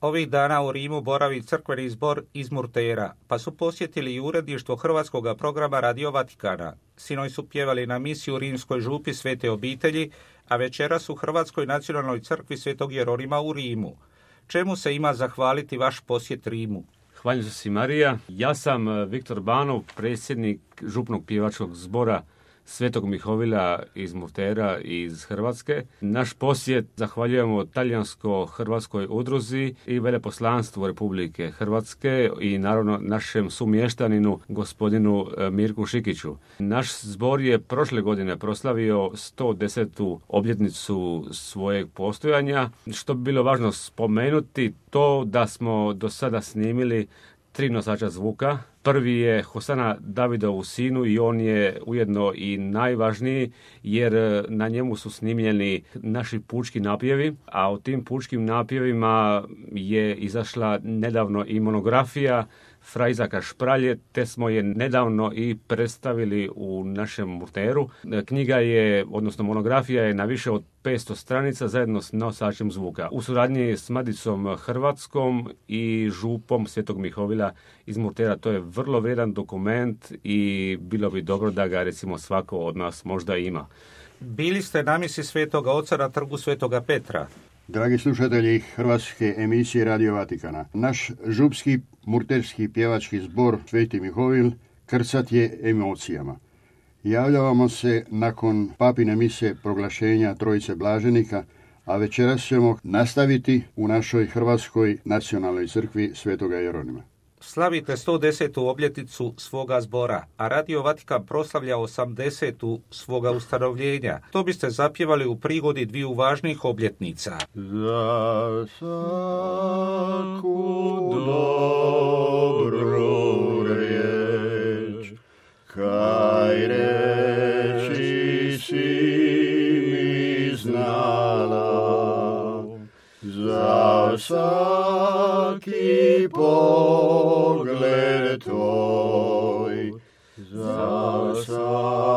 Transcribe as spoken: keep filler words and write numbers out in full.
Ovih dana u Rimu boravi crkveni zbor iz Murtera, pa su posjetili i uredništvo hrvatskog programa Radio Vatikana. Sinoć su pjevali na misi u rimskoj župi Svete obitelji, a večeras u Hrvatskoj nacionalnoj crkvi Svetog Jeronima u Rimu. Čemu se ima zahvaliti vaš posjet Rimu? Hvala se Marija. Ja sam Viktor Banov, predsjednik župnog pjevačkog zbora Svetog Mihovila iz Murtera iz Hrvatske. Naš posjet zahvaljujemo talijansko-hrvatskoj udruzi i veleposlanstvu Republike Hrvatske i naravno našem sumještaninu gospodinu Mirku Šikiću. Naš zbor je prošle godine proslavio sto desetu obljetnicu svojeg postojanja. Što bi bilo važno spomenuti to da smo do sada snimili tri nosača zvuka. Prvi je Hosana Davidovu sinu i on je ujedno i najvažniji jer na njemu su snimljeni naši pučki napjevi, a u tim pučkim napjevima je izašla nedavno i monografija Fra Izaka Špralje, te smo je nedavno i predstavili u našem Murteru. Knjiga je, odnosno monografija je na više od petsto stranica zajedno s nosačem zvuka. U suradnji s Madicom Hrvatskom i župom Svetog Mihovila iz Murtera. To je vrlo vrijedan dokument i bilo bi dobro da ga recimo svako od nas možda ima. Bili ste na misi Svetoga Oca na trgu Svetoga Petra. Dragi slušatelji hrvatske emisije Radio Vatikana, naš župski murterski pjevački zbor Sveti Mihovil krcat je emocijama. Javljavamo se nakon papine mise proglašenja Trojice blaženika, a večeras ćemo nastaviti u našoj Hrvatskoj nacionalnoj crkvi Svetoga Jeronima. Slavite sto desetu obljetnicu svoga zbora, a Radio Vatikan proslavlja osamdesetu svoga ustanovljenja. To biste zapjevali u prigodi dviju važnih obljetnica. Za svaku dobru riječ, kaj reči si mi znala, za svaki pogled tvoj, za svaki